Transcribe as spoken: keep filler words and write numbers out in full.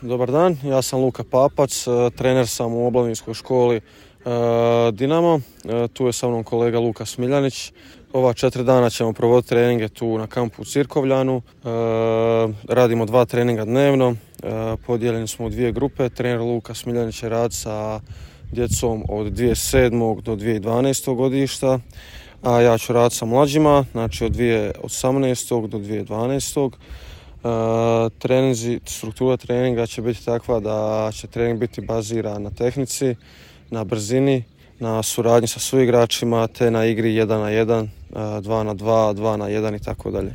dobar dan. Ja sam Luka Papac, trener sam u Oblavinskoj školi Dinamo. Tu je sa mnom kolega Luka Smiljanić. Ova četiri dana ćemo provoditi treninge tu na kampu u Cirkovljanu. Radimo dva treninga dnevno. Podijeljeni smo u dvije grupe. Trener Luka Smiljanić će raditi sa djecom od dvije tisuće sedmog do dvije tisuće dvanaestog godišta, a ja ću raditi sa mlađima, znači od dvije tisuće osamnaestog do dvije tisuće dvanaestog. Uh, treninzi, struktura treninga će biti takva da će trening biti baziran na tehnici, na brzini, na suradnji sa suigračima te na igri jedan na jedan, dva na dva, dva na jedan i tako dalje.